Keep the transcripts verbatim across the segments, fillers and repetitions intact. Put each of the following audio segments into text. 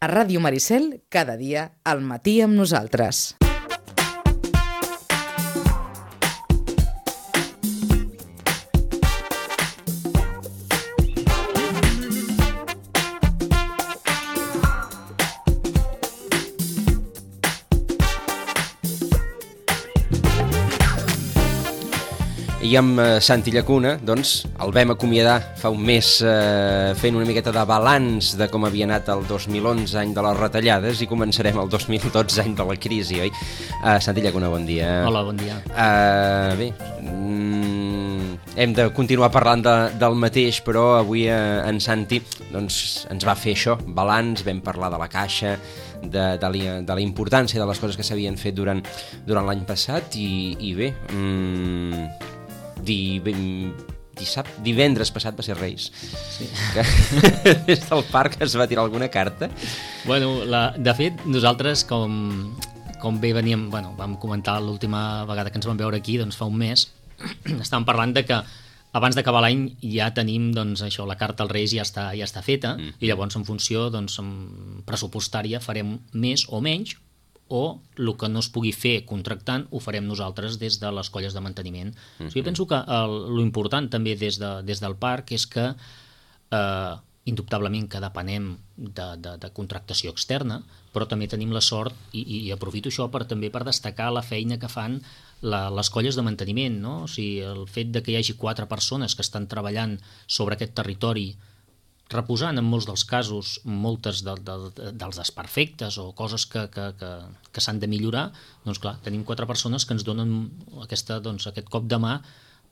A Ràdio Maricel, cada dia, al matí amb nosaltres. I amb Santi Llacuna, doncs, el vam acomiadar fa un mes eh, fent una miqueta de balanç de com havia anat el dos mil onze, any de les retallades, i començarem el dos mil dotze, any de la crisi, oi? Uh, Santi Llacuna, bon dia. Hola, bon dia. Uh, bé, mm, hem de continuar parlant de, del mateix, però avui uh, en Santi doncs, ens va fer això, balanç, vam parlar de la caixa, de, de, la, de la importància de les coses que s'havien fet durant, durant l'any passat, i, i bé... Mm, Di, dissabte, divendres passat va ser Reis, sí. Que des del parc es va tirar alguna carta. Bueno, la, de fet, nosaltres com, com bé veníem, bueno, vam comentar l'última vegada que ens vam veure aquí, doncs fa un mes, estàvem parlant de que abans d'acabar l'any ja tenim, doncs, això, la carta als Reis ja està, ja està feta, mm. i llavors en funció, doncs, pressupostària farem més o menys, o el que no es pugui fer contractant ho farem nosaltres des de les colles de manteniment. Mm-hmm. O sigui, jo penso que l'important també des, de, des del parc és que eh, indubtablement que depenem de, de, de contractació externa, però també tenim la sort, i, i aprofito això per, també per destacar la feina que fan la, les colles de manteniment, no? O sigui, el fet de que hi hagi quatre persones que estan treballant sobre aquest territori, reposant en molts dels casos moltes de, de, de, dels desperfectes o coses que, que, que, que s'han de millorar, doncs clar, tenim quatre persones que ens donen aquesta, doncs, aquest cop de mà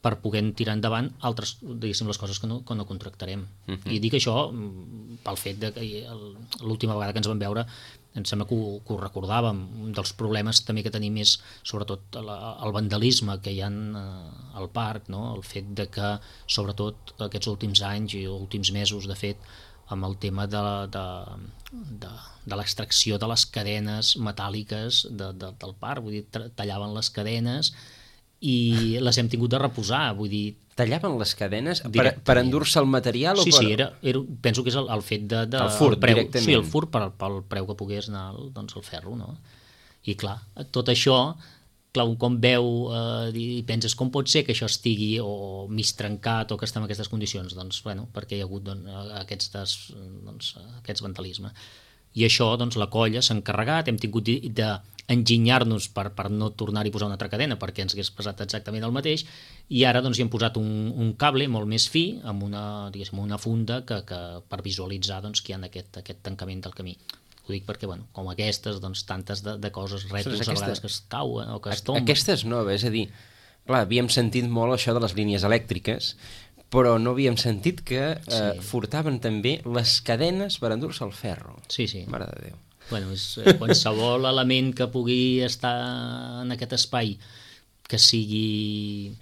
per poder tirar endavant altres, diguéssim, les coses que no, que no contractarem. Uh-huh. I dic això pel fet de que l'última vegada que ens vam veure em sembla que ho, que ho recordàvem. Un dels problemes també que tenim és sobretot el, el vandalisme que hi ha al parc, no? El fet de que sobretot aquests últims anys i últims mesos, de fet, amb el tema de, de, de, de l'extracció de les cadenes metàl·liques de, de, del parc, vull dir, tallaven les cadenes i les hem tingut de reposar, vull dir... Tallaven les cadenes per, per endur-se el material? Sí, o per... sí, era, era, penso que és el, el fet de... de el furt, el preu, directament. Sí, el furt per, pel preu que pogués anar doncs, el ferro, no? I clar, tot això, clar, un com veu eh, i penses com pot ser que això estigui o mig trencat o que estem en aquestes condicions? Doncs, bueno, perquè hi ha hagut doncs, aquests, des, doncs, aquests vandalisme. I això, doncs, la colla s'ha encarregat, hem tingut d'enginyar-nos per, per no tornar-hi a posar una altra cadena perquè ens hagués pesat exactament el mateix, i ara doncs, hi hem posat un, un cable molt més fi amb una, diguéssim, una funda que, que, per visualitzar doncs, que hi ha aquest, aquest tancament del camí. Ho dic perquè, bueno, com aquestes, doncs, tantes de, de coses rètols aquesta... a vegades que es cauen o que es tomben. Aquestes noves, és a dir, clar, havíem sentit molt això de les línies elèctriques, però no havíem sentit que eh, sí. furtaven també les cadenes per endur-se el ferro. Sí, sí. Mare de Déu. Bueno, és eh, qualsevol element que pugui estar en aquest espai que sigui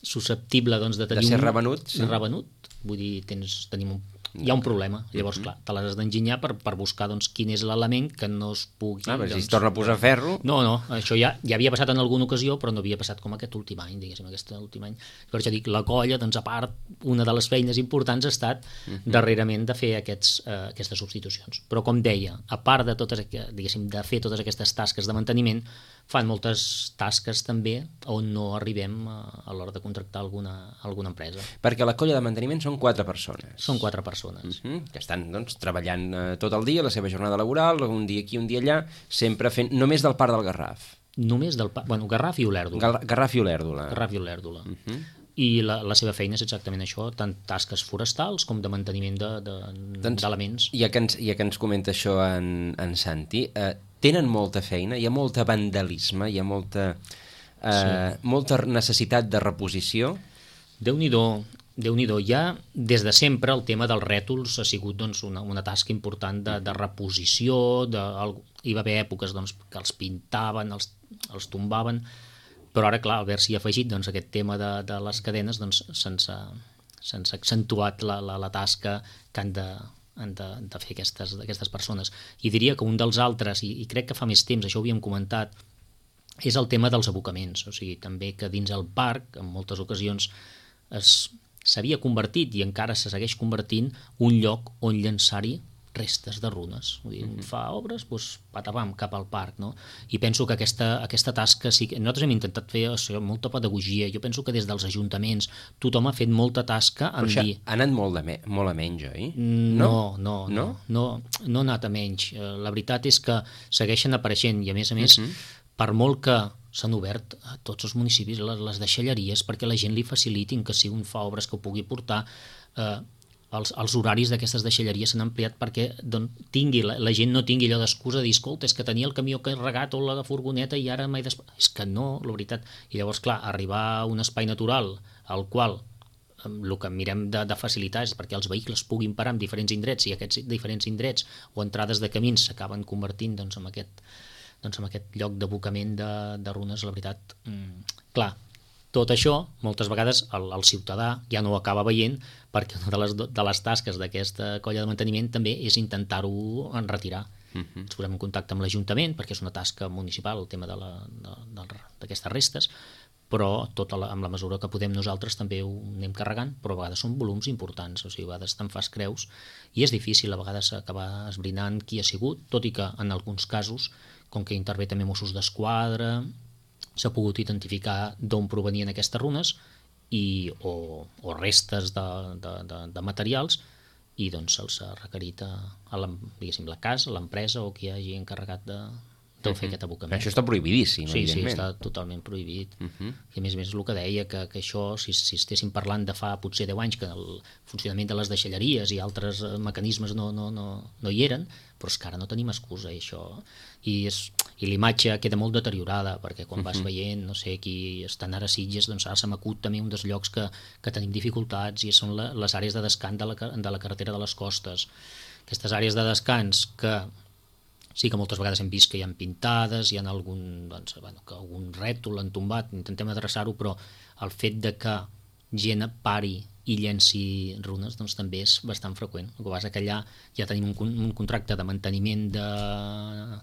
susceptible doncs, de tenir... De ser un... revenut. Sí. Revenut. Vull dir, tens, tenim un... hi ha un problema. Llavors, clar, te l'has d'enginyar per, per buscar doncs, quin és l'element que no es pugui... Ah, però doncs... si es torna a posar ferro... No, no, això ja, ja havia passat en alguna ocasió, però no havia passat com aquest últim any, diguéssim, aquest últim any. Per això dic, la colla, doncs, a part, una de les feines importants ha estat uh-huh. darrerament de fer aquests, eh, aquestes substitucions. Però, com deia, a part de totes, diguéssim, de fer totes aquestes tasques de manteniment, fan moltes tasques també on no arribem a, a l'hora de contractar alguna, alguna empresa. Perquè la colla de manteniment són quatre persones. Són quatre persones. Uh-huh, que estan doncs, treballant eh, tot el dia, la seva jornada laboral, un dia aquí, un dia allà, sempre fent només del parc del Garraf. Només del parc, bueno, Garraf i Olèrdola. Gal- Garraf i Olèrdola. Garraf i Olèrdola. Uh-huh. I la, la seva feina és exactament això, tant tasques forestals com de manteniment de, de, doncs, d'elements. Ja que ens, ja que ens comenta això en, en Santi, eh, tenen molta feina, hi ha molta vandalisme, hi ha molta, eh, sí. molta necessitat de reposició. Déu-n'hi-do, Déu-n'hi-do. Ja des de sempre el tema dels rètols ha sigut doncs, una, una tasca important de, de reposició, de, el, hi va haver èpoques doncs, que els pintaven, els, els tombaven, però ara, clar, al haver-s'hi afegit doncs, aquest tema de, de les cadenes, doncs, se'ns ha, se'ns ha accentuat la, la, la tasca que han de, han de, de fer aquestes, aquestes persones. I diria que un dels altres, i, i crec que fa més temps, això ho havíem comentat, és el tema dels abocaments. O sigui, també que dins el parc, en moltes ocasions, es, s'havia convertit, i encara se segueix convertint, un lloc on llançar-hi restes de runes. Vull dir, mm-hmm. fa obres, doncs, patapam, cap al parc, no? I penso que aquesta, aquesta tasca, sí, nosaltres hem intentat fer això, molta pedagogia, jo penso que des dels ajuntaments tothom ha fet molta tasca en Però dir... ha anat molt, de me molt a menys, oi? No, no, no, no, no, no ha anat a menys. La veritat és que segueixen apareixent i, a més a més, mm-hmm. per molt que s'han obert a tots els municipis les, les deixalleries perquè la gent li facilitin que si un fa obres que ho pugui portar, eh, els, els horaris d'aquestes deixalleries s'han ampliat perquè doncs, tingui, la, la gent no tingui allò d'excusa de dir, escolta, és que tenia el camió carregat o la furgoneta i ara m'he desp... És que no, la veritat. I llavors, clar, arribar a un espai natural al qual el que mirem de, de facilitar és perquè els vehicles puguin parar en diferents indrets i aquests diferents indrets o entrades de camins s'acaben convertint doncs, en aquest doncs amb aquest lloc d'abocament de, de runes, la veritat, mm, clar, tot això, moltes vegades el, el ciutadà ja no ho acaba veient perquè una de les, de les tasques d'aquesta colla de manteniment també és intentar-ho en retirar. Uh-huh. Ens posem en contacte amb l'Ajuntament perquè és una tasca municipal, el tema d'aquestes restes, però tota la, amb la mesura que podem nosaltres també ho anem carregant, però a vegades són volums importants, o sigui, a vegades te'n fas creus i és difícil a vegades acabar esbrinant qui ha sigut, tot i que en alguns casos, com que intervé també Mossos d'Esquadra, s'ha pogut identificar d'on provenien aquestes runes i, o, o restes de, de, de, de materials i doncs se'ls ha requerit a, a la, diguéssim, la casa, l'empresa o qui hagi encarregat de, de fer aquest abocament. Això està prohibidíssim, sí, evidentment. Sí, està totalment prohibit. Uh -huh. I a més a més el que deia, que, que això, si, si estéssim parlant de fa potser deu anys, que el funcionament de les deixalleries i altres mecanismes no, no, no, no hi eren, però és que ara no tenim excusa, i això... I, és, i l'imatge queda molt deteriorada, perquè quan uh -huh. vas veient, no sé, qui estan ara a Sitges, doncs ara se m'acut també un dels llocs que, que tenim dificultats, i són la, les àrees de descans de la, de la carretera de les costes. Aquestes àrees de descans que sí que moltes vegades hem vist que hi ha pintades, hi ha algun, doncs, bueno, que algun rètol l'han tombat, intentem adreçar-ho, però el fet de que gent pari i llenci runes doncs també és bastant freqüent. El que passa que allà ja tenim un, un contracte de manteniment de,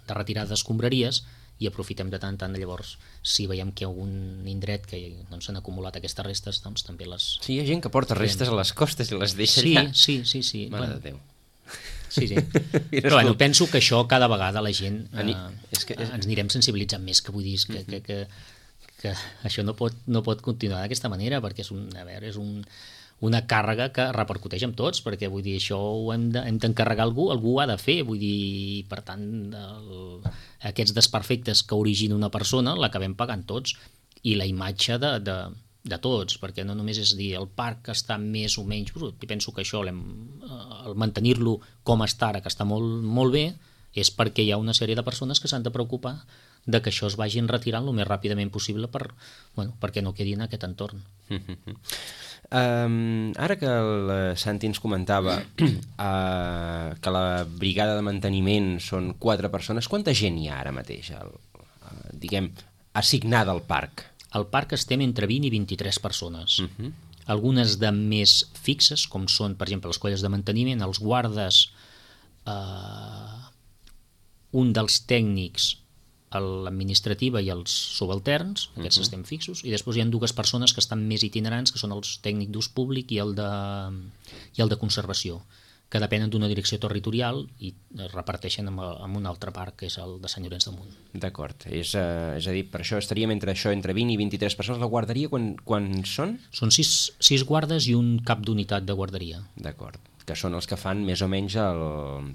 de retirada d'escombraries i aprofitem de tant en tant. Llavors, si veiem que hi ha algun indret que doncs, s'han acumulat aquestes restes, doncs també les... Sí, hi ha gent que porta restes a les costes i les deixa sí, allà. Sí, sí, sí. Mare bueno, de Déu. Sí, sí. Però bueno, penso que això cada vegada la gent eh, és que és... ens anirem sensibilitzant més, que vull dir que, que, que, que això no pot, no pot continuar d'aquesta manera, perquè és, un, a veure, és un, una càrrega que repercuteix amb tots, perquè vull dir, això ho hem de, hem d'encarregar a algú, algú ho ha de fer, vull dir, per tant, el, aquests desperfectes que origina una persona l'acabem pagant tots, i la imatge de, de, de tots, perquè no només és dir el parc està més o menys brut, i penso que això, el mantenir-lo com està ara, que està molt, molt bé, és perquè hi ha una sèrie de persones que s'han de preocupar de que això es vagin retirant el més ràpidament possible per, bueno, perquè no quedi en aquest entorn. Um, ara que el Santi ens comentava uh, que la brigada de manteniment són quatre persones, quanta gent hi ha ara mateix, el, uh, diguem, assignada al parc? Al parc estem entre vint i vint-i-tres persones. Uh-huh. Algunes de més fixes, com són, per exemple, les colles de manteniment, els guardes, eh, un dels tècnics, l'administrativa i els subalterns, aquests uh-huh. estem fixos, i després hi ha dues persones que estan més itinerants, que són els tècnic d'ús públic i el de, i el de conservació, que depenen d'una direcció territorial i es reparteixen amb, amb un altre parc, que és el de Sant Llorenç de Munt. D'acord, és, uh, és a dir, per això estaríem entre això, entre vint i vint-i-tres persones. La guarderia, quan, quan són? Són sis, sis guardes i un cap d'unitat de guarderia. D'acord, que són els que fan més o menys el,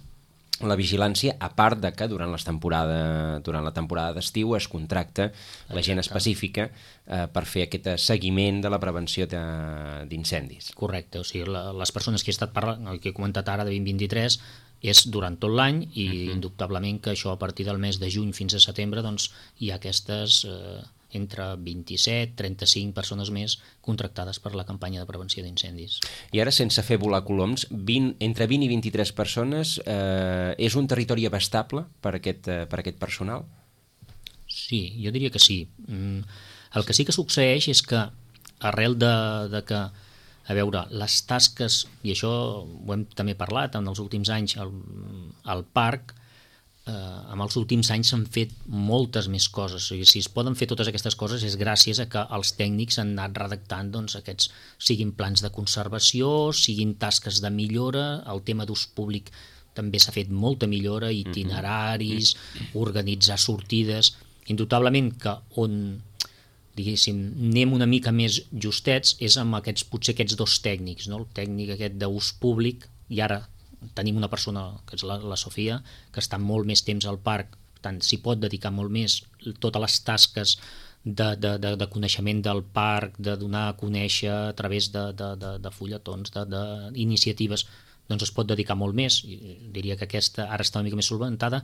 la vigilància, a part de que durant, les temporada, durant la temporada d'estiu es contracta la gent específica eh, per fer aquest seguiment de la prevenció d'incendis. Correcte, o sigui, la, les persones que he estat parlant, el que he comentat ara de vint vint-i-tres, és durant tot l'any i uh-huh. indubtablement que això a partir del mes de juny fins a setembre doncs, hi ha aquestes eh, entre vint-i-set, trenta-cinc persones més contractades per la campanya de prevenció d'incendis. I ara, sense fer volar coloms, vint, entre vint i vint-i-tres persones, eh, és un territori abastable per aquest, eh, per aquest personal? Sí, jo diria que sí. Mm, el que sí que succeeix és que arrel de, de que, a veure, les tasques, i això ho hem també parlat en els últims anys al, al parc, eh, en els últims anys s'han fet moltes més coses. O sigui, si es poden fer totes aquestes coses és gràcies a que els tècnics han anat redactant doncs, aquests, siguin plans de conservació, siguin tasques de millora, el tema d'ús públic també s'ha fet molta millora, itineraris, organitzar sortides, indubtablement que on diguéssim, anem una mica més justets és amb aquests, potser aquests dos tècnics, no? El tècnic aquest d'ús públic, i ara tenim una persona, que és la, la Sofia, que està molt més temps al parc, per tant, s'hi pot dedicar molt més totes les tasques de, de, de, de coneixement del parc, de donar a conèixer a través de, de, de, de fulletons, d'iniciatives, doncs es pot dedicar molt més. I diria que aquesta ara està una mica més solventada.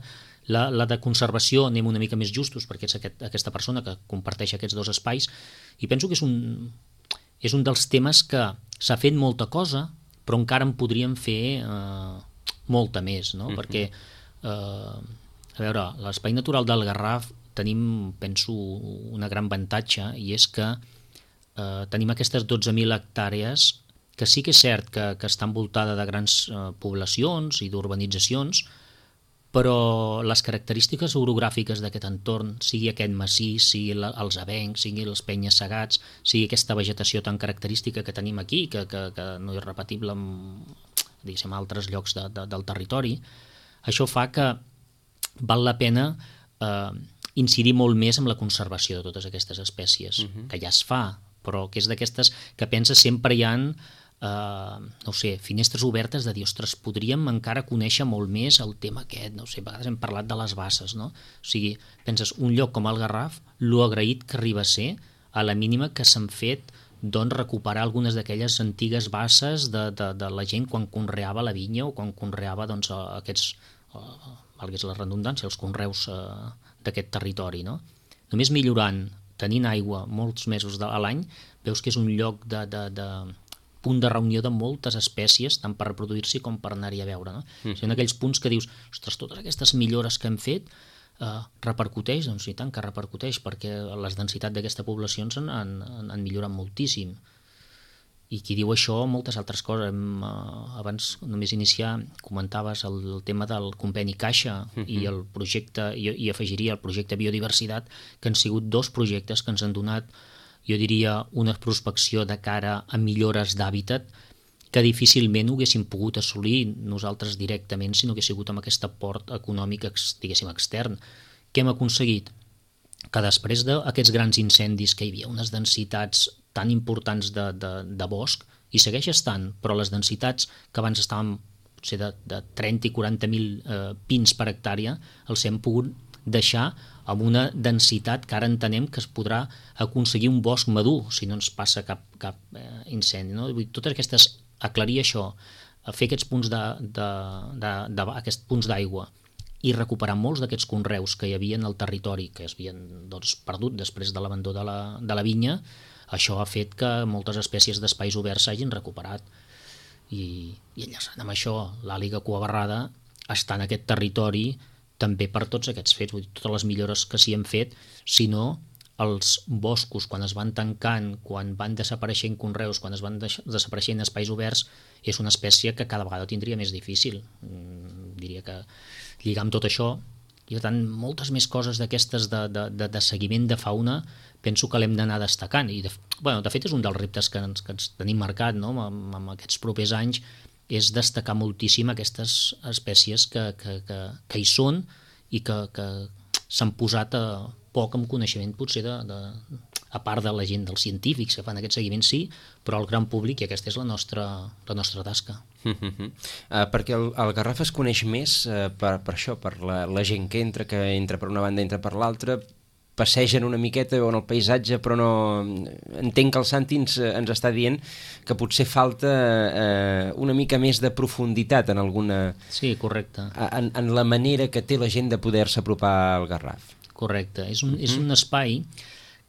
La, la de conservació anem una mica més justos, perquè és aquest, aquesta persona que comparteix aquests dos espais, i penso que és un, és un dels temes que s'ha fet molta cosa, però encara en podríem fer eh, molta més, no? Uh-huh. Perquè, eh, a veure, l'espai natural del Garraf tenim, penso, una gran avantatge, i és que eh, tenim aquestes dotze mil hectàrees que sí que és cert que, que està envoltada de grans eh, poblacions i d'urbanitzacions, però les característiques orogràfiques d'aquest entorn, sigui aquest massís, sigui la, els avencs, sigui els penya-segats, sigui aquesta vegetació tan característica que tenim aquí, que, que, que no és repetible en, diguéssim, altres llocs de, de, del territori, això fa que val la pena eh, incidir molt més en la conservació de totes aquestes espècies, uh-huh. que ja es fa, però que és d'aquestes que pensa sempre hi ha Uh, no sé, finestres obertes de dir, ostres, podríem encara conèixer molt més el tema aquest, no sé, a vegades hem parlat de les basses, no? O sigui, penses, un lloc com el Garraf, lo agraït que arriba a ser, a la mínima que s'han fet, doncs, recuperar algunes d'aquelles antigues basses de, de, de la gent quan conreava la vinya o quan conreava, doncs, aquests, uh, valgués la redundància, els conreus uh, d'aquest territori, no? Només millorant, tenint aigua molts mesos de, a l'any, veus que és un lloc de, de, de punt de reunió de moltes espècies, tant per reproduir-s'hi com per anar-hi a veure. No? Mm. O sigui, en aquells punts que dius, ostres, totes aquestes millores que hem fet eh, repercuteix? Doncs i tant que repercuteix, perquè les densitats d'aquesta població han, han, han millorat moltíssim. I qui diu això, moltes altres coses. Hem, eh, abans, només iniciar, comentaves el, el tema del conveni Caixa mm-hmm. i el projecte, i, i afegiria el projecte Biodiversitat, que han sigut dos projectes que ens han donat, jo diria, una prospecció de cara a millores d'hàbitat que difícilment ho haguéssim pogut assolir nosaltres directament si no hagués sigut amb aquest aport econòmic, diguéssim, extern. Què hem aconseguit? Que després d'aquests grans incendis que hi havia, unes densitats tan importants de, de, de bosc, i segueix estant, però les densitats que abans estaven potser de, de trenta i quaranta mil eh, pins per hectàrea, els hem pogut deixar amb una densitat que ara entenem que es podrà aconseguir un bosc madur si no ens passa cap, cap eh, incendi. No? Totes aquestes, aclarir això, fer aquests punts de, de, de, de, aquests punts d'aigua i recuperar molts d'aquests conreus que hi havia en el territori, que es havien doncs, perdut després de l'abandó de, la, de la vinya, això ha fet que moltes espècies d'espais oberts s'hagin recuperat. I, i enllaçant amb això, l'àliga cuabarrada està en aquest territori també per tots aquests fets, vull dir, totes les millores que s'hi han fet, sinó els boscos, quan es van tancant, quan van desapareixent conreus, quan es van desapareixent espais oberts, és una espècie que cada vegada tindria més difícil. Mm, diria que lligar amb tot això, i per tant, moltes més coses d'aquestes de, de, de, de seguiment de fauna, penso que l'hem d'anar destacant. I de, bueno, de fet, és un dels reptes que ens, que ens tenim marcat, no? amb, amb aquests propers anys, és destacar moltíssim aquestes espècies que, que, que, que hi són i que, que s'han posat a poc amb coneixement, potser, de, de, a part de la gent, dels científics que fan aquest seguiment, sí, però el gran públic, i aquesta és la nostra, la nostra tasca. Uh-huh. Uh, perquè el, el Garraf es coneix més uh, per, per això, per la, la gent que entra, que entra per una banda, entra per l'altra, passegen una miqueta en el paisatge, però no... Entenc que el Santi ens, ens està dient que potser falta eh, una mica més de profunditat en alguna... Sí, correcte. En, en la manera que té la gent de poder-se apropar al Garraf. Correcte. És un, és un espai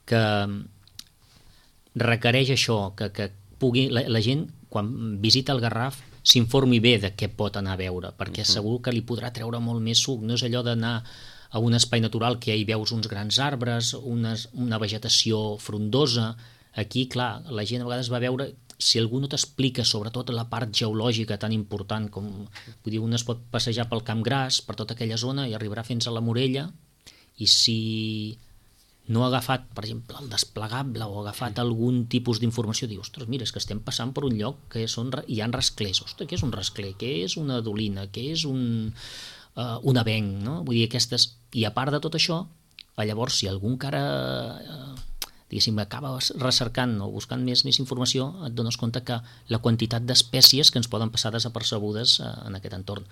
que requereix això, que, que pugui, la, la gent, quan visita el Garraf, s'informi bé de què pot anar a veure, perquè uh-huh. segur que li podrà treure molt més suc. No és allò d'anar a un espai natural que hi veus uns grans arbres, unes, una vegetació frondosa. Aquí, clar, la gent a vegades va veure, si algú no t'explica sobretot la part geològica tan important com, vull dir, un es pot passejar pel Camp Gras, per tota aquella zona, i arribarà fins a la Morella, i si no ha agafat, per exemple, el desplegable o ha agafat algun tipus d'informació, diu, ostres, mira, és que estem passant per un lloc que són, hi ha rasclers. Ostres, què és un rascler? Què és una dolina? Què és un, uh, un avenc? No? Vull dir, aquestes... I a part de tot això, llavors, si algú encara... Uh, diguéssim, acaba recercant o buscant més, més informació, et dones compte que la quantitat d'espècies que ens poden passar desapercebudes uh, en aquest entorn.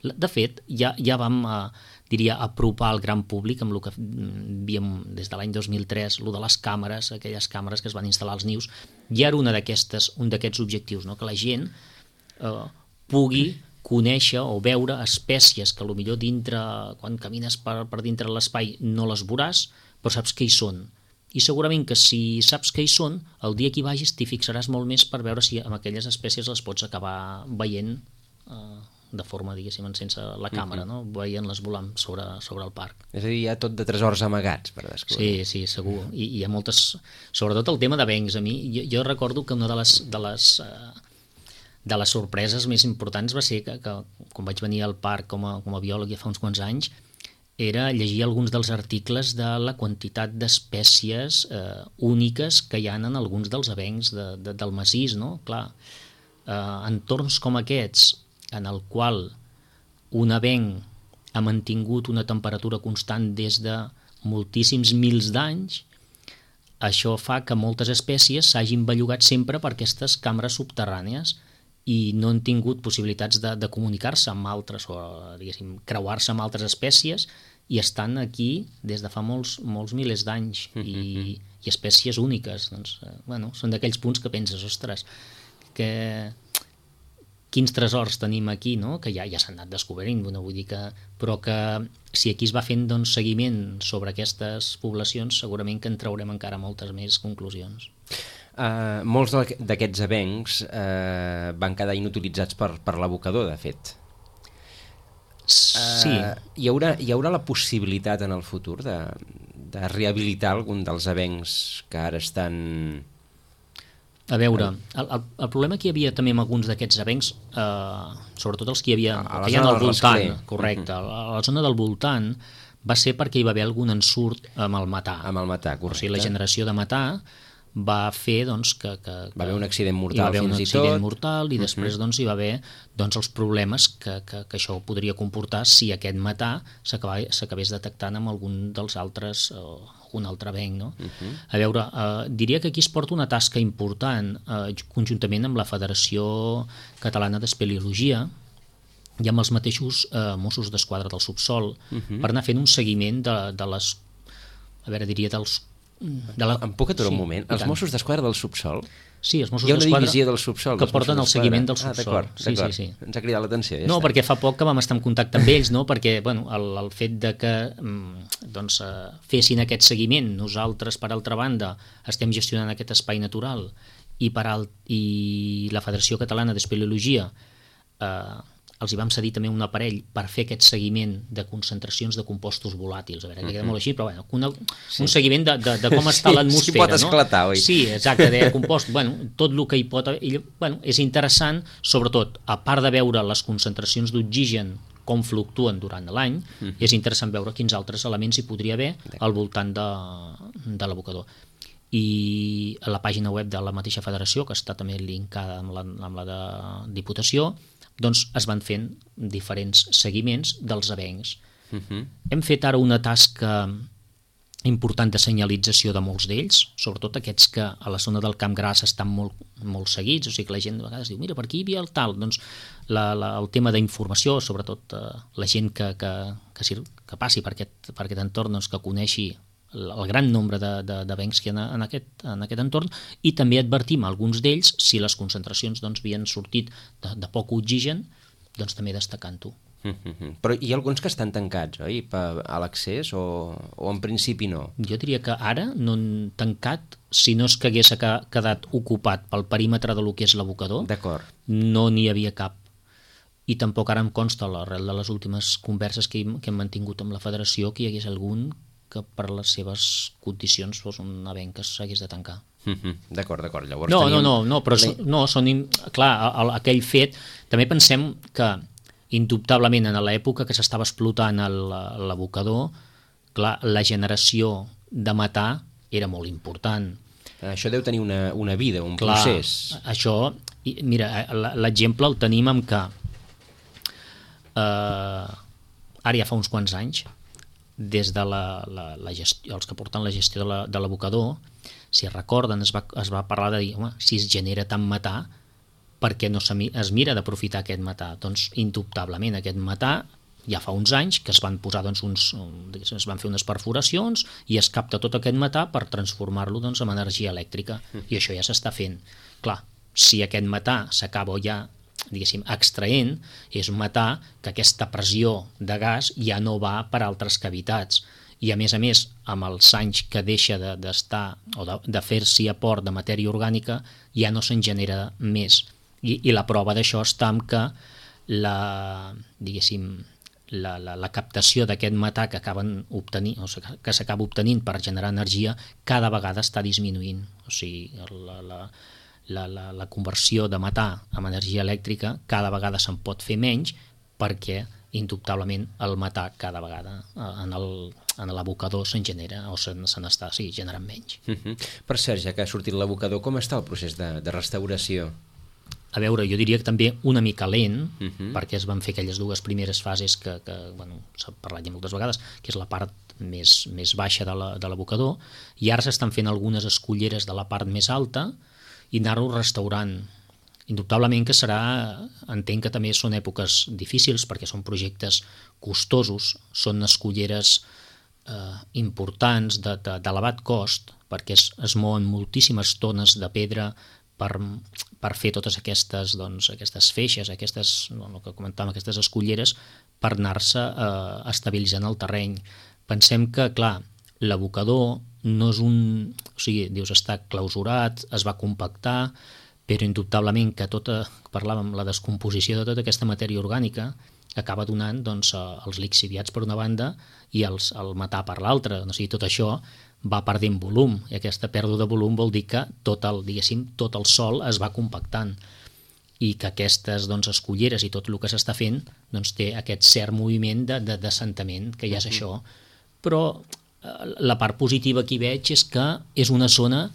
De fet, ja, ja vam, uh, diria, apropar al gran públic amb el que havíem des de l'any dos mil tres, el de les càmeres, aquelles càmeres que es van instal·lar als nius, ja era una d'aquestes, un d'aquests objectius, no? Que la gent uh, pugui conèixer o veure espècies que potser dintre, quan camines per, per dintre l'espai no les veuràs, però saps que hi són. I segurament que si saps que hi són, el dia que hi vagis t'hi fixaràs molt més per veure si amb aquelles espècies les pots acabar veient eh, de forma, diguéssim, sense la càmera, no? Veient-les volant sobre, sobre el parc. És a dir, hi ha tot de tresors amagats per descobrir. Sí, sí, segur. I hi ha moltes... Sobretot el tema d'avencs. A mi, jo, jo recordo que una de les, de les, eh, de les sorpreses més importants va ser que, que quan vaig venir al parc com a, com a biòleg ja fa uns quants anys, era llegir alguns dels articles de la quantitat d'espècies eh, úniques que hi ha en alguns dels avencs de, de, del massís, no? Clar, eh, entorns com aquests, en el qual un avenc ha mantingut una temperatura constant des de moltíssims mils d'anys, això fa que moltes espècies s'hagin bellugat sempre per aquestes cambres subterrànies i no han tingut possibilitats de, de comunicar-se amb altres o, diguéssim, creuar-se amb altres espècies i estan aquí des de fa molts, molts milers d'anys i, i espècies úniques. Doncs, eh, bueno, són d'aquells punts que penses, ostres, que quins tresors tenim aquí, no? Que ja, ja s'han anat descobrint, no vull dir que, però que si aquí es va fent doncs, seguiment sobre aquestes poblacions, segurament que en traurem encara moltes més conclusions. Uh, molts d'aquests avencs uh, van quedar inutilitzats per, per l'abocador, de fet. Sí. Uh, hi, haurà, hi haurà la possibilitat en el futur de, de rehabilitar algun dels avencs que ara estan... A veure, el, el, el problema que hi havia també amb alguns d'aquests avencs, eh, sobretot els que hi havia a la que hi ha zona al del voltant, Rascler. correcte, a la, a la zona del voltant va ser perquè hi va haver algun ensurt amb el matà. Amb el matà, correcte. O sigui, la generació de matà va fer doncs, que, que, que... Va haver un accident mortal hi va haver un fins i accident tot. mortal i després doncs, hi va haver doncs, els problemes que, que, que això podria comportar si aquest matà s'acabés detectant amb algun dels altres, o un altre avenc. No? Uh-huh. A veure, eh, diria que aquí es porta una tasca important eh, conjuntament amb la Federació Catalana d'Espeleologia i amb els mateixos eh, Mossos d'Esquadra del Subsol uh-huh. per anar fent un seguiment de, de les, a veure, diria dels de la... Em puc aturar sí, un moment? Els Mossos d'Esquadra del Subsol? Sí, els Mossos d'Esquadra. Hi ha una d'Esquadra divisió del Subsol. que porten el seguiment del Subsol. Ah, d'acord, sí, d'acord. sí, sí. Ens ha cridat l'atenció. Ja no, està. perquè fa poc que vam estar en contacte amb ells, no? Perquè bueno, el, el fet de que doncs, eh, fessin aquest seguiment, nosaltres, per altra banda, estem gestionant aquest espai natural i, per al, i la Federació Catalana d'Espeleologia eh, els hi vam cedir també un aparell per fer aquest seguiment de concentracions de compostos volàtils. A veure, que queda molt així, però bueno, una, sí. un seguiment de, de, de com està sí, l'atmosfera. Sí, pot esclatar, no? oi? Sí, exacte, de compost. Bueno, tot el que hi pot... I, bueno, és interessant, sobretot, a part de veure les concentracions d'oxigen com fluctuen durant l'any, mm-hmm. és interessant veure quins altres elements hi podria haver al voltant de, de l'abocador. I a la pàgina web de la mateixa federació, que està també linkada amb la, amb la de Diputació, doncs es van fent diferents seguiments dels avencs. Uh-huh. Hem fet ara una tasca important de senyalització de molts d'ells, sobretot aquests que a la zona del Camp Gras estan molt, molt seguits, o sigui que la gent a vegades diu, mira, per aquí hi havia el tal, doncs la, la, el tema d'informació, sobretot eh, la gent que, que, que, que passi per aquest, per aquest entorn, doncs, que coneixi el gran nombre d'avencs que hi ha en aquest, en aquest entorn, i també advertim a alguns d'ells si les concentracions doncs, havien sortit de, de poc oxigen, doncs també destacant-ho. Mm-hmm. Però hi ha alguns que estan tancats, oi? Per, a l'accés o, o en principi no? Jo diria que ara no han tancat, si no és que hagués quedat ocupat pel perímetre de lo que és l'abocador, no n'hi havia cap. I tampoc ara em consta, a l'arrel de les últimes converses que, que hem mantingut amb la federació, que hi hagués algun que per les seves condicions fos un avenc que s'hagués de tancar. Mm-hmm. D'acord, d'acord. Llavors no, tenim... no, no, no, però so, no, són... Clar, aquell fet... També pensem que, indubtablement, en l'època que s'estava explotant l'abocador, clar, la generació de matar era molt important. Això deu tenir una, una vida, un Clar, procés. Això, mira, l'exemple el tenim amb que eh, ara ja fa uns quants anys, des de la, la, la gestió, els que porten la gestió de l'abocador, si recorden, es va, es va parlar de dir, home, si es genera tant matar, per què no es mira d'aprofitar aquest matar? Doncs, indubtablement, aquest matar ja fa uns anys que es van posar doncs, uns, es van fer unes perforacions i es capta tot aquest matar per transformar-lo doncs, en energia elèctrica, i això ja s'està fent. Clar, si aquest matar s'acaba ja, diguéssim, extraent, és un matar que aquesta pressió de gas ja no va per altres cavitats, i a més a més, amb els anys que deixa d'estar de, o de, de fer-s'hi aport de matèria orgànica, ja no se'n genera més. I, i la prova d'això està en que la, diguéssim, la, la, la captació d'aquest metà que acaben obtenint, o sigui, que s'acaba obtenint per generar energia, cada vegada està disminuint. O sigui, la, la, la, la, la conversió de metà amb energia elèctrica cada vegada se'n pot fer menys, perquè indubtablement el metà cada vegada en el en l'abocador se'n genera o se n'està sí, generant menys. Uh-huh. Per cert, ja que ha sortit l'abocador, com està el procés de, de restauració? A veure, jo diria que també una mica lent, uh-huh. perquè es van fer aquelles dues primeres fases que, que bueno, s'ha parlat ja moltes vegades, que és la part més, més baixa de l'abocador, i ara s'estan fent algunes esculleres de la part més alta i anar-ho restaurant. Indubtablement que serà, entenc que també són èpoques difícils perquè són projectes costosos, són esculleres eh, importants d'elevat cost, perquè es, es mouen moltíssimes tones de pedra per, per fer totes aquestes, doncs, aquestes feixes, aquestes, no, el que comentàvem, aquestes esculleres, per anar-se eh, estabilitzant el terreny. Pensem que, clar, l'abocador no és un... O sigui, dius, està clausurat, es va compactar, però indubtablement que tota, parlàvem, la descomposició de tota aquesta matèria orgànica acaba donant doncs, els lixiviats per una banda i els, el metà per l'altra. O sigui, tot això va perdent volum, i aquesta pèrdua de volum vol dir que tot el, diguéssim, tot el sòl es va compactant, i que aquestes doncs, esculleres i tot el que s'està fent doncs, té aquest cert moviment de, de d'assentament, que ja és això. Però la part positiva que hi veig és que és una zona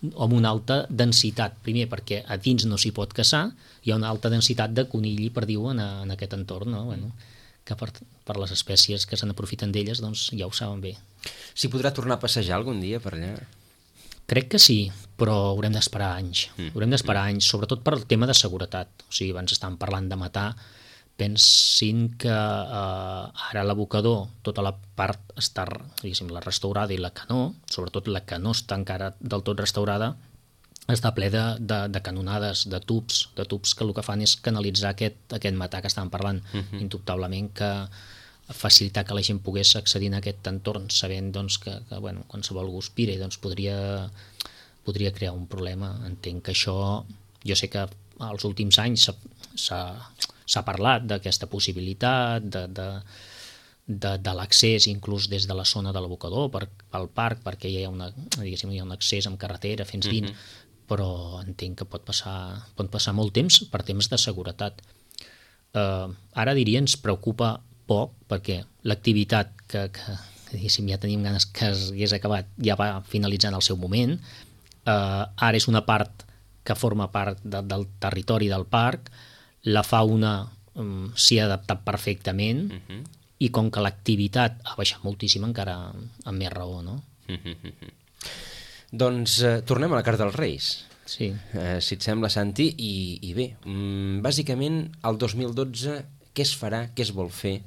amb una alta densitat, primer perquè a dins no s'hi pot caçar, hi ha una alta densitat de conill i perdiu en, en aquest entorn, no? Bueno, que per, per les espècies que se n'aprofiten d'elles doncs ja ho saben bé. S'hi podrà tornar a passejar algun dia per allà? Crec que sí, però haurem d'esperar anys. Mm. Haurem d'esperar anys, sobretot per el tema de seguretat. O sigui, abans estàvem parlant de matar, pensin que eh, ara l'abocador, tota la part està, diguéssim, la restaurada i la que no, sobretot la que no està encara del tot restaurada, està ple de, de, de canonades, de tubs, de tubs que el que fan és canalitzar aquest, aquest metà que estàvem parlant, uh-huh. indubtablement que facilitar que la gent pogués accedir a aquest entorn sabent doncs, que, que bueno, qualsevol guspira doncs, podria, podria crear un problema. Entenc que això, jo sé que als últims anys s'ha s'ha parlat d'aquesta possibilitat de, de, de, de l'accés inclús des de la zona de l'abocador per, pel parc, perquè hi ha, una, diguéssim, hi ha un accés amb carretera fins dins, uh-huh. però entenc que pot passar, pot passar molt temps per temps de seguretat. Uh, ara diria ens preocupa poc perquè l'activitat que, que diguéssim, ja tenim ganes que hagués acabat ja va finalitzant el seu moment, uh, ara és una part que forma part de, del territori del parc, la fauna um, s'hi ha adaptat perfectament uh-huh. i com que l'activitat ha baixat moltíssim encara amb més raó, no? Uh-huh. Doncs eh, tornem a la carta dels Reis. Sí. Eh, si et sembla, Santi, i, i bé, um, bàsicament el dos mil dotze què es farà, què es vol fer,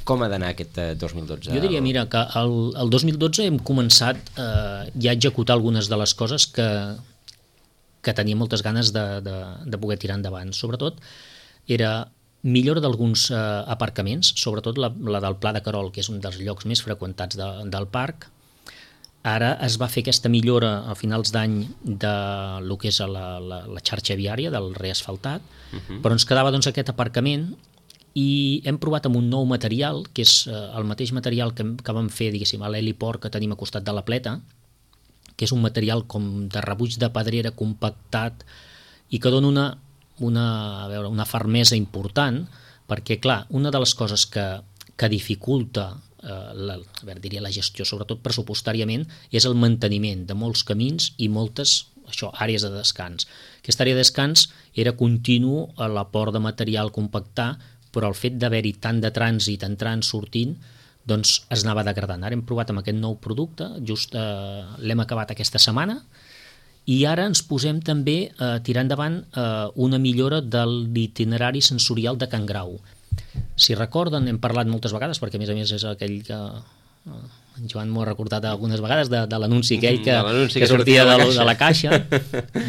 com ha d'anar aquest eh, dos mil dotze? Jo diria, mira, que el, el dos mil dotze hem començat eh, ja a executar algunes de les coses que que tenia moltes ganes de, de, de poder tirar endavant. Sobretot era millora d'alguns eh, aparcaments, sobretot la, la del Pla de Querol, que és un dels llocs més freqüentats de, del parc. Ara es va fer aquesta millora a finals d'any de lo que és la, la, la xarxa viària, del reasfaltat, uh-huh. però ens quedava doncs, aquest aparcament i hem provat amb un nou material, que és eh, el mateix material que, que vam fer diguéssim, a l'heliport que tenim a costat de la Pleta, que és un material com de rebuig de pedrera compactat i que dona una, una, a veure, una fermesa important, perquè, clar, una de les coses que, que dificulta eh, la, a veure, diria la gestió, sobretot pressupostàriament, és el manteniment de molts camins i moltes això, àrees de descans. Aquesta àrea de descans era continu a l'aport de material compactar, però el fet d'haver-hi tant de trànsit entrant, sortint, doncs es anava degradant. Ara hem provat amb aquest nou producte, just eh, l'hem acabat aquesta setmana, i ara ens posem també a eh, tirar endavant eh, una millora de l'itinerari sensorial de Can Grau. Si recorden, hem parlat moltes vegades, perquè a més a més és aquell que... Eh, en Joan m'ho ha recordat algunes vegades de, de l'anunci aquell que, que, que sortia de, de la caixa.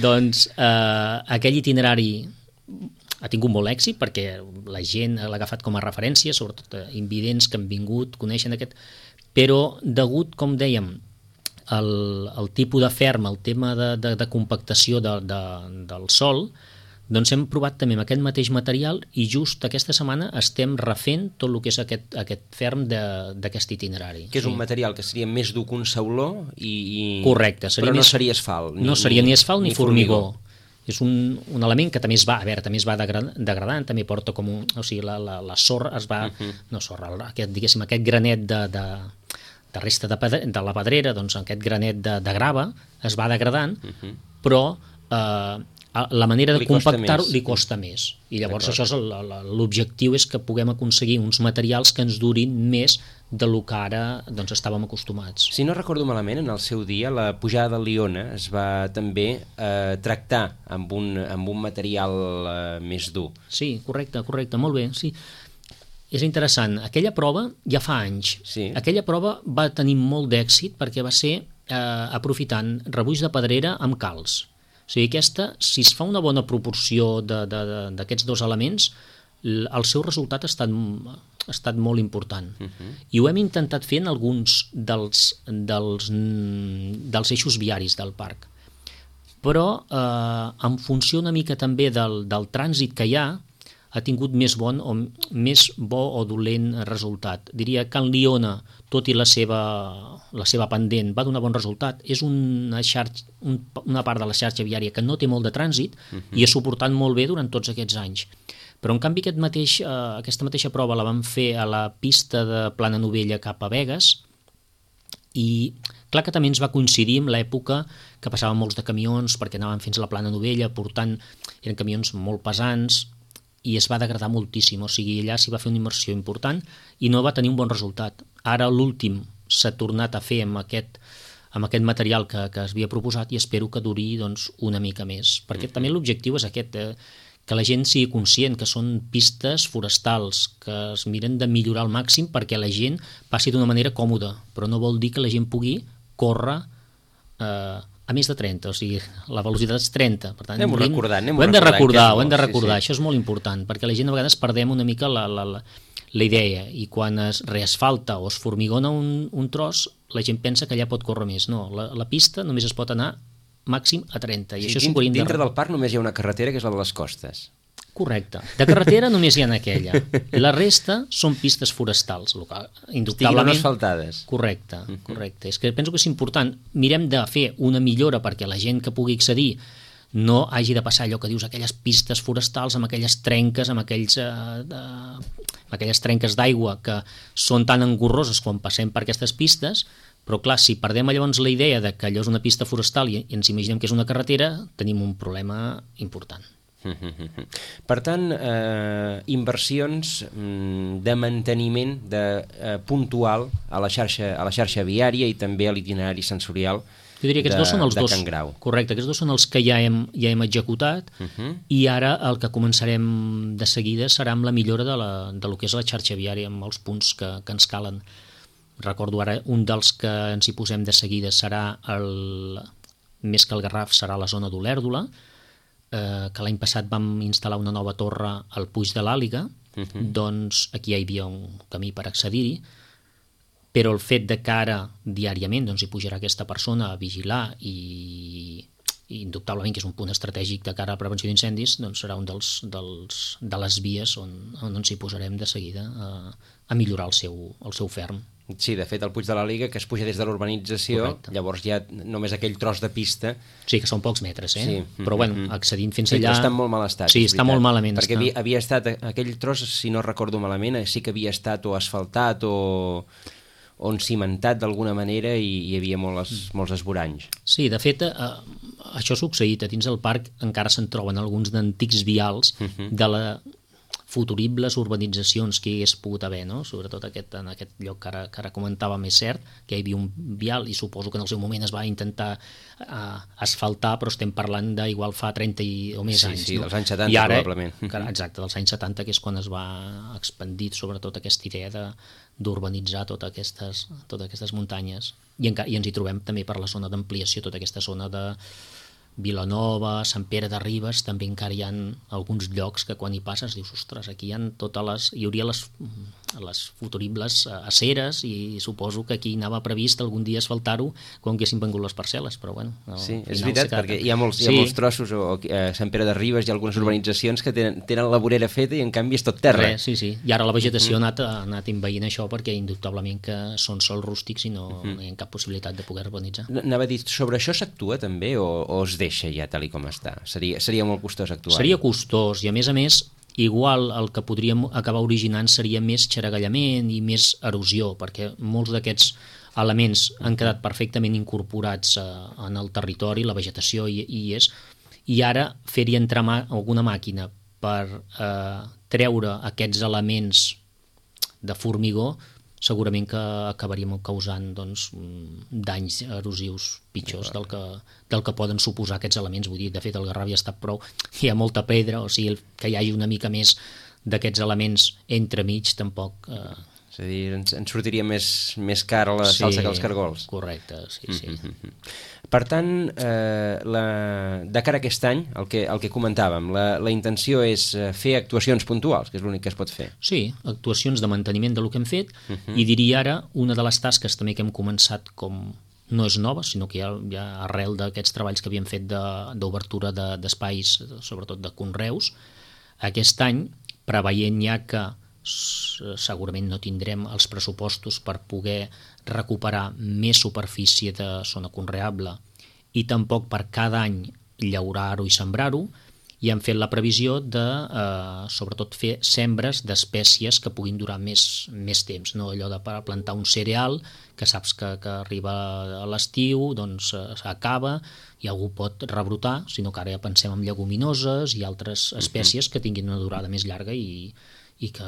Doncs eh, aquell itinerari ha tingut molt èxit perquè la gent l'ha agafat com a referència, sobretot invidents que han vingut, coneixen aquest... Però degut, com dèiem, el, el tipus de ferm, el tema de, de, de compactació de, de, del sòl, doncs hem provat també amb aquest mateix material i just aquesta setmana estem refent tot el que és aquest, aquest ferm d'aquest itinerari. Que és sí. un material que seria més dur que un sauló i... Correcte. Però no més... seria asfalt. Ni, no seria ni asfalt ni, ni formigó. formigó. És un, un element que també es va, a veure, també es va degradant, també porta com un... O sigui, la, la, la sorra es va... Uh -huh. No sorra, aquest, diguéssim, aquest granet de... de de resta de, pedre, de la pedrera, doncs aquest granet de, de grava es va degradant, uh -huh. però eh, la manera de compactar-ho li costa més. I llavors això és l'objectiu, és que puguem aconseguir uns materials que ens durin més de lo que ara doncs, estàvem acostumats. Si no recordo malament, en el seu dia la pujada de Liona es va també eh, tractar amb un, amb un material eh, més dur. Sí, correcte, correcte, molt bé, sí. És interessant, aquella prova ja fa anys. Sí. Aquella prova va tenir molt d'èxit perquè va ser eh, aprofitant rebuix de pedrera amb calç. O sigui, aquesta, si es fa una bona proporció d'aquests dos elements, el seu resultat ha estat, ha estat molt important. Uh -huh. I ho hem intentat fer en alguns dels, dels, dels eixos viaris del parc. Però eh, en funció una mica també del, del trànsit que hi ha, ha tingut més bon o més bo o dolent resultat. Diria que en Liona, tot i la seva, la seva pendent, va donar bon resultat. És una, xarxa, un, una part de la xarxa viària que no té molt de trànsit uh-huh. i ha suportat molt bé durant tots aquests anys. Però, en canvi, aquest mateix, eh, aquesta mateixa prova la vam fer a la pista de Plana Novella cap a Begues i, clar que també ens va coincidir amb l'època que passaven molts de camions perquè anaven fins a la Plana Novella, portant, eren camions molt pesants, i es va degradar moltíssim, o sigui, allà s'hi va fer una immersió important i no va tenir un bon resultat. Ara l'últim s'ha tornat a fer amb aquest, amb aquest material que, que es havia proposat i espero que duri doncs, una mica més, perquè mm-hmm. també l'objectiu és aquest, eh, que la gent sigui conscient que són pistes forestals, que es miren de millorar al màxim perquè la gent passi d'una manera còmoda, però no vol dir que la gent pugui córrer eh, a més de trenta, o sigui, la velocitat és trenta. Per tant, anem-ho recordant, anem-ho ho hem de recordar, ho hem de bo, recordar, sí, sí. Això és molt important, perquè la gent a vegades perdem una mica la, la, la, la idea, i quan es reasfalta o es formigona un, un tros, la gent pensa que allà pot córrer més. No, la, la pista només es pot anar màxim a trenta. I sí, això dins, de... dintre del parc només hi ha una carretera que és la de les costes. Correcte. De carretera només hi ha aquella. La resta són pistes forestals, indubtablement. Estiguin asfaltades. Correcte, correcte. És que penso que és important. Mirem de fer una millora perquè la gent que pugui accedir no hagi de passar allò que dius, aquelles pistes forestals amb aquelles trenques, amb, aquells, eh, de, amb aquelles trenques d'aigua que són tan engorroses quan passem per aquestes pistes, però clar, si perdem llavors la idea de que allò és una pista forestal i ens imaginem que és una carretera, tenim un problema important. Per tant, eh, inversions de manteniment de, eh, puntual a la xarxa, a la xarxa viària i també a l'itinerari sensorial jo diria que aquests de, dos són els de dos, Can Grau. Correcte, aquests dos són els que ja hem, ja hem executat uh -huh. i ara el que començarem de seguida serà amb la millora de, la, de lo que és la xarxa viària, amb els punts que, que ens calen. Recordo ara, un dels que ens hi posem de seguida serà, el, més que el Garraf, serà la zona d'Olèrdola, eh, que l'any passat vam instal·lar una nova torre al Puig de l'Àliga, uh -huh. doncs aquí hi havia un camí per accedir-hi, però el fet de que ara diàriament doncs, hi pujarà aquesta persona a vigilar i, i indubtablement que és un punt estratègic de cara a la prevenció d'incendis, doncs serà un dels, dels, de les vies on, on ens hi posarem de seguida a, a millorar el seu, el seu ferm. Sí, de fet, el Puig de la Liga, que es puja des de l'urbanització, correcte. Llavors hi ha només aquell tros de pista. Sí, que són pocs metres, eh? Sí. Però, bueno, accedint fins sí, allà... Sí, està en molt mal estat. Sí, està molt malament. Perquè està. havia, havia estat, aquell tros, si no recordo malament, sí que havia estat o asfaltat o... on cimentat d'alguna manera i hi havia molts, molts esvoranys. Sí, de fet, eh, això ha succeït. A dins del parc encara se'n troben alguns d'antics vials uh-huh. de la futuribles urbanitzacions que hi hagués pogut haver, no? Sobretot aquest, en aquest lloc que ara, que ara comentàvem, és cert que hi havia un vial i suposo que en el seu moment es va intentar uh, asfaltar, però estem parlant d'igual fa trenta i, o més sí, anys. Sí, no? dels anys setanta, I ara, probablement. Exacte, dels anys setanta, que és quan es va expandir sobretot aquesta idea de, d'urbanitzar totes aquestes, totes aquestes muntanyes. I, enca- I ens hi trobem també per la zona d'ampliació, tota aquesta zona de Vilanova, Sant Pere de Ribes, també encara hi ha alguns llocs que quan hi passes dius, ostres, aquí hi ha totes les, hi hauria les, les futuribles aceres i suposo que aquí anava previst algun dia asfaltar-ho quan haguessin vengut les parcel·les, però bueno... No, sí, és veritat, perquè hi ha molts, sí. hi ha molts trossos, o a Sant Pere de Ribes hi ha algunes urbanitzacions que tenen, tenen la vorera feta i en canvi és tot terra. Res, sí, sí, i ara la vegetació mm. ha, anat, ha anat envaint això perquè indubtablement que són sols rústics i no, mm. no hi ha cap possibilitat de poder urbanitzar. Anava a dir, sobre això s'actua també o, o es deixa ja tal i com està? Seria, seria molt costós actuar. Seria costós i a més a més igual el que podríem acabar originant seria més xaragallament i més erosió, perquè molts d'aquests elements han quedat perfectament incorporats eh, en el territori, la vegetació hi, hi és, i ara fer-hi entrar mà, alguna màquina per eh, treure aquests elements de formigó segurament que acabaríem causant doncs, danys erosius pitjors del que, del que poden suposar aquests elements. Vull dir, de fet, el Garraf ja està prou, hi ha molta pedra, o sigui, que hi hagi una mica més d'aquests elements entremig tampoc... Eh... És a dir, ens, ens sortiria més, més car la sí, salsa que els cargols. Correcte, sí, sí. Mm-hmm. Per tant, eh, la, de cara a aquest any, el que, el que comentàvem, la, la intenció és fer actuacions puntuals, que és l'únic que es pot fer. Sí, actuacions de manteniment del que hem fet, uh-huh. i diria ara, una de les tasques també que hem començat com no és nova, sinó que ja, ja arrel d'aquests treballs que havíem fet d'obertura de, d'espais, sobretot de conreus, aquest any, preveient ja que segurament no tindrem els pressupostos per poder recuperar més superfície de zona conreable i tampoc per cada any llaurar-ho i sembrar-ho, i hem fet la previsió de, eh, sobretot, fer sembres d'espècies que puguin durar més, més temps, no allò de plantar un cereal que saps que, que arriba a l'estiu, doncs s'acaba i algú pot rebrotar, sinó que ara ja pensem en lleguminoses i altres espècies que tinguin una durada més llarga i i que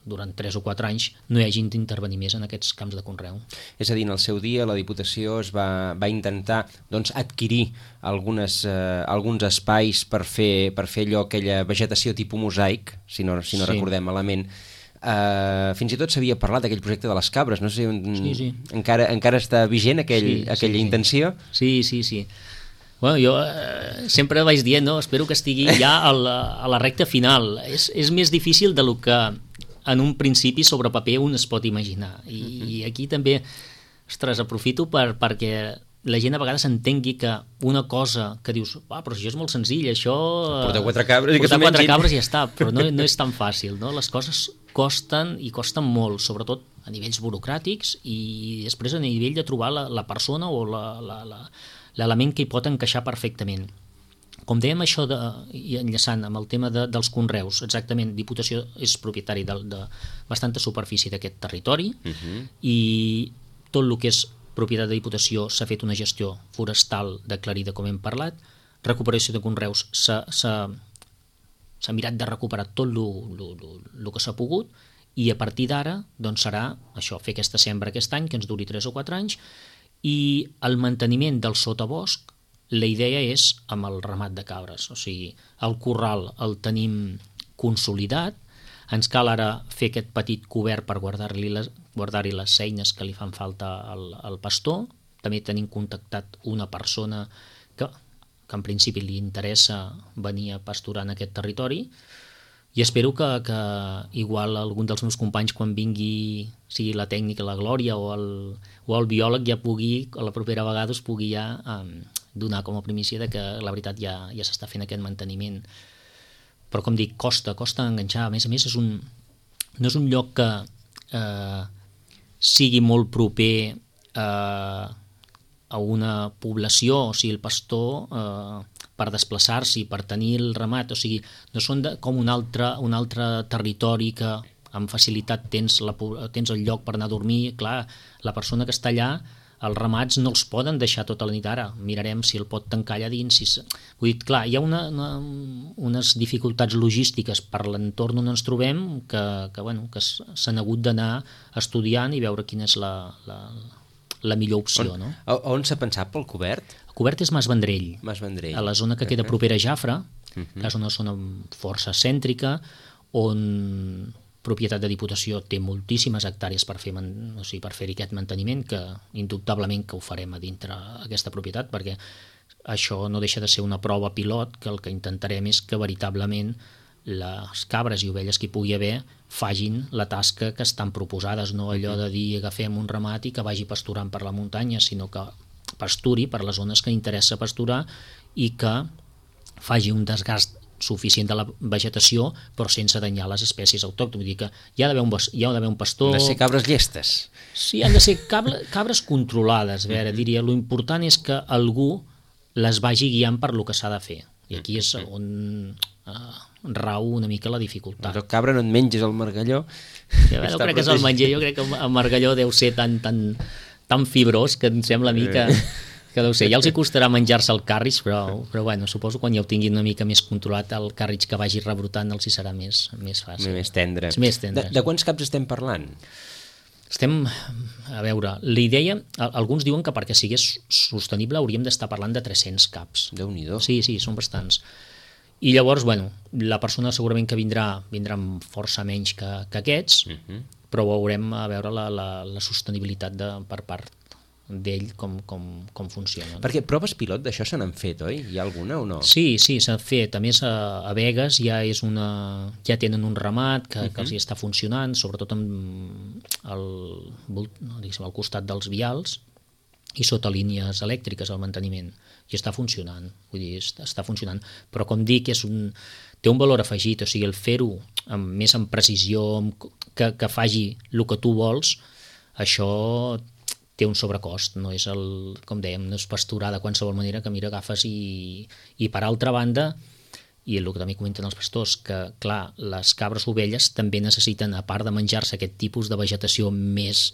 durant tres o quatre anys no hi hagin d'intervenir més en aquests camps de conreu. És a dir, en el seu dia la Diputació es va, va intentar doncs, adquirir algunes, eh, alguns espais per fer, per fer allò, aquella vegetació tipus mosaic, si no, si no sí. recordem malament. Uh, fins i tot s'havia parlat d'aquell projecte de les cabres, no sé si sí, sí. Encara, encara està vigent aquell, sí, aquella sí, intenció? Sí, sí, sí. Bueno, jo eh, sempre vaig dient, no? Espero que estigui ja a la, a la recta final. És, és més difícil del que en un principi sobre paper un es pot imaginar. I, uh-huh. i aquí també, ostres, aprofito per, perquè la gent a vegades entengui que una cosa que dius, ah, però això és molt senzill, això... Portar quatre cabres i que s'ho mengin. Portar quatre cabres i ja està, però no, no és tan fàcil, no? Les coses costen i costen molt, sobretot a nivells burocràtics i després a nivell de trobar la, la persona o la... la, la l'element que hi pot encaixar perfectament. Com dèiem això, de, i enllaçant amb el tema de, dels conreus, exactament, Diputació és propietari de, de bastanta superfície d'aquest territori uh-huh. i tot el que és propietat de Diputació s'ha fet una gestió forestal d'aclarida, com hem parlat, recuperació de conreus s'ha, s'ha, s'ha mirat de recuperar tot el que s'ha pogut i a partir d'ara doncs serà això, fer aquesta sembra aquest any, que ens duri tres o quatre anys, i el manteniment del sotabosc, la idea és amb el ramat de cabres, o sigui, el corral el tenim consolidat, ens cal ara fer aquest petit cobert per guardar-li les, guardar-hi les eines que li fan falta al, al pastor, també tenim contactat una persona que, que en principi li interessa venir a pasturar en aquest territori, i espero que, que igual algun dels meus companys quan vingui, sigui la tècnica, la Glòria o el, o el biòleg ja pugui, a la propera vegada us pugui ja um, donar com a primícia de que la veritat ja, ja s'està fent aquest manteniment. Però com dic, costa, costa enganxar. A més a més, és un, no és un lloc que eh, sigui molt proper eh, a una població, o sigui, el pastor... Eh, per desplaçar-s'hi, per tenir el ramat, o sigui, no són de, com un altre, un altre territori que amb facilitat tens, la, tens el lloc per anar a dormir, clar, la persona que està allà, els ramats no els poden deixar tota la nit ara, mirarem si el pot tancar allà dins, si... vull dir, clar, hi ha una, una, unes dificultats logístiques per l'entorn on ens trobem que, que, bueno, que s'han hagut d'anar estudiant i veure quina és la, la, la millor opció. On, no? a, on s'ha pensat pel cobert? El cobert és Mas Vendrell, Mas Vendrell. A la zona que queda propera a Jafre, Uh-huh. que és una zona força cèntrica, on propietat de Diputació té moltíssimes hectàrees per fer man, o sigui, per fer aquest manteniment, que indubtablement que ho farem a dintre aquesta propietat, perquè això no deixa de ser una prova pilot, que el que intentarem és que veritablement les cabres i ovelles que hi pugui haver fagin la tasca que estan proposades, no allò de dir agafem un ramat i que vagi pasturant per la muntanya, sinó que pasturi per les zones que interessa pasturar i que faci un desgast suficient de la vegetació, però sense danyar les espècies autòctones. Vull dir que hi ha d'haver un, hi ha d'haver un pastor... Han de ser cabres llestes. Sí, han de ser cabres, cabres controlades. A veure, diria, l'important és que algú les vagi guiant per lo que s'ha de fer. I aquí és on uh, rau una mica la dificultat. Però cabra no et menges el margalló. Ja, no crec que és el menjar, jo crec que el margalló deu ser tan, tan, tan fibrós que em sembla a mi que... que deu ser, ja els hi costarà menjar-se el càrrig, però, però bueno, suposo quan ja ho tinguin una mica més controlat, el càrrig que vagi rebrotant els hi serà més, més fàcil. Més tendre. És més tendre. De, de quants caps estem parlant? Estem, a veure, la idea, alguns diuen que perquè sigués sostenible hauríem d'estar parlant de tres-cents caps. Déu-n'hi-do. Sí, sí, són bastants. I llavors, bueno, la persona segurament que vindrà, vindrà amb força menys que, que aquests, uh -huh. però veurem a veure la, la, la sostenibilitat de, per part d'ell com, com, com funciona. Perquè proves pilot d'això se n'han fet, oi? Hi ha alguna o no? Sí, sí, s'ha fet. A més, a, a Begues ja és una, ja tenen un ramat que, uh -huh. que els hi està funcionant, sobretot amb el, al costat dels vials i sota línies elèctriques al manteniment. I està funcionant, vull dir, està funcionant. Però com dic, és un, té un valor afegit, o sigui, el fer-ho amb, més amb precisió, amb, que, que faci el que tu vols, això té un sobrecost, no és el, com dèiem, no és pasturar de qualsevol manera que mira, agafes i, i per altra banda, i el que també comenten els pastors, que clar, les cabres ovelles també necessiten, a part de menjar-se aquest tipus de vegetació més,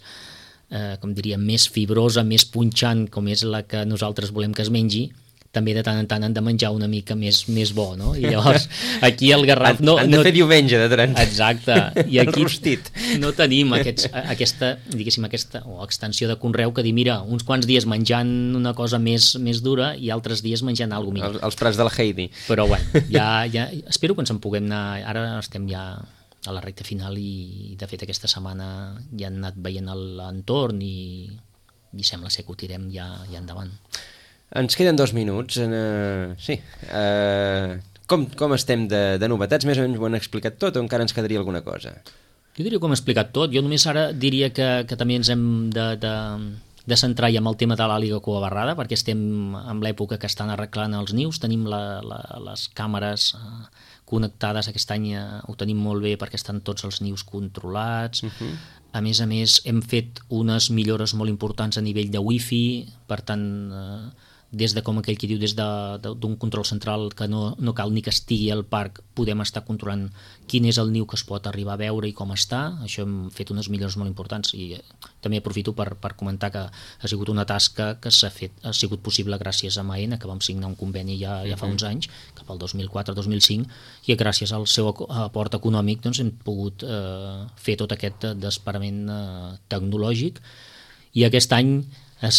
eh, com diria, més fibrosa, més punxant, com és la que nosaltres volem que es mengi, també de tant en tant han de menjar una mica més, més bo, no? I llavors, aquí el Garraf... No, han de no, fer diumenge de tant. Exacte. I aquí Rostit. no tenim aquests, aquesta, diguéssim, aquesta o extensió de conreu que dir, mira, uns quants dies menjant una cosa més, més dura i altres dies menjant alguna cosa millor. Els, els prats de la Heidi. Però bueno, ja, ja, espero que ens en puguem anar... Ara estem ja a la recta final i, de fet, aquesta setmana ja han anat veient l'entorn i, i sembla ser que ho tirem ja, ja endavant. Ens queden dos minuts. Uh, sí. Uh, com, com estem de, de novetats? Més o menys ho han explicat tot o encara ens quedaria alguna cosa? Jo diria que ho hem explicat tot. Jo només ara diria que, que també ens hem de, de, de centrar ja en el tema de l'àliga coabarrada, perquè estem en l'època que estan arreglant els nius, tenim la, la, les càmeres uh, connectades, aquest any uh, ho tenim molt bé perquè estan tots els nius controlats. Uh-huh. A més a més, hem fet unes millores molt importants a nivell de wifi, per tant... Uh, des de, com aquell que diu, des d'un control central que no, no cal ni que estigui al parc, podem estar controlant quin és el niu que es pot arribar a veure i com està. Això hem fet unes millores molt importants i eh, també aprofito per, per comentar que ha sigut una tasca que s'ha fet, ha sigut possible gràcies a Maena, que vam signar un conveni ja, ja fa uns anys, cap al dos mil quatre dos mil cinc, i gràcies al seu aport econòmic doncs, hem pogut eh, fer tot aquest desparament eh, tecnològic, i aquest any és,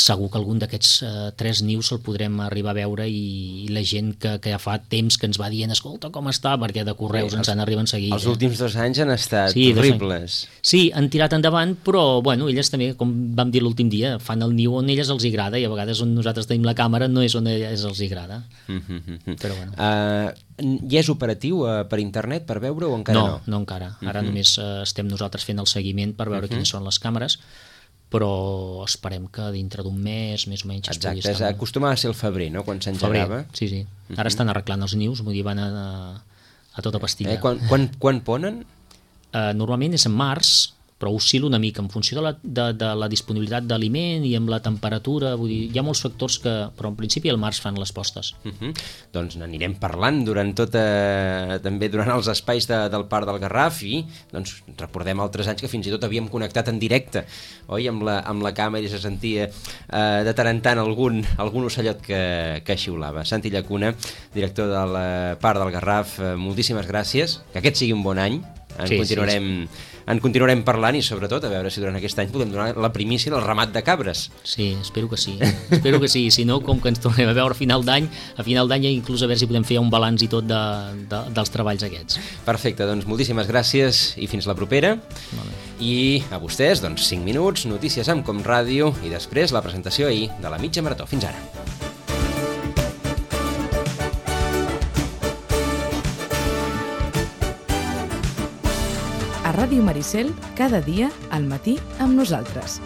segur que algun d'aquests uh, tres nius el podrem arribar a veure i, i la gent que, que ja fa temps que ens va dient escolta com està, perquè de correus sí, ens han arribat seguit. Els últims dos anys han estat sí, horribles. Sí, han tirat endavant, però bueno, elles també, com vam dir l'últim dia, fan el niu on elles els agrada i a vegades on nosaltres tenim la càmera no és on elles els agrada. Mm-hmm. Però bueno. Uh, ja és operatiu uh, per internet per veure o encara no? No, no encara. Ara mm-hmm. només uh, estem nosaltres fent el seguiment per veure mm-hmm. quines són les càmeres, però esperem que dintre d'un mes, més o menys... Exacte, es estar... acostumava a ser el febrer, no?, quan s'engegava. Sí, sí. Ara uh-huh. estan arreglant els nius, vull dir, van a, a tota pastilla. Eh, quan, quan, quan ponen? Uh, normalment és en març, però oscil·la una mica en funció de la, de, de la disponibilitat d'aliment i amb la temperatura, vull dir, hi ha molts factors que, però en principi al març fan les postes. Uh -huh. Doncs n'anirem parlant durant tota, també durant els espais de, del Parc del Garraf i doncs recordem altres anys que fins i tot havíem connectat en directe, oi, amb la, amb la càmera i se sentia eh, de tant en tant algun, algun ocellot que, que xiulava. Santi Llacuna, director del Parc del Garraf, eh, moltíssimes gràcies, que aquest sigui un bon any. En, sí, continuarem, sí, sí. en continuarem parlant i sobretot a veure si durant aquest any podem donar la primícia del ramat de cabres. Sí, espero que sí. Espero que sí. Si no, com que ens tornem a veure a final d'any, a final d'any inclús a veure si podem fer un balanç i tot de, de, dels treballs aquests. Perfecte, doncs moltíssimes gràcies i fins la propera. Vale. I a vostès, doncs cinc minuts, notícies amb Com Ràdio i després la presentació ahir de la mitja marató. Fins ara. A Ràdio Maricel, cada dia al matí amb nosaltres.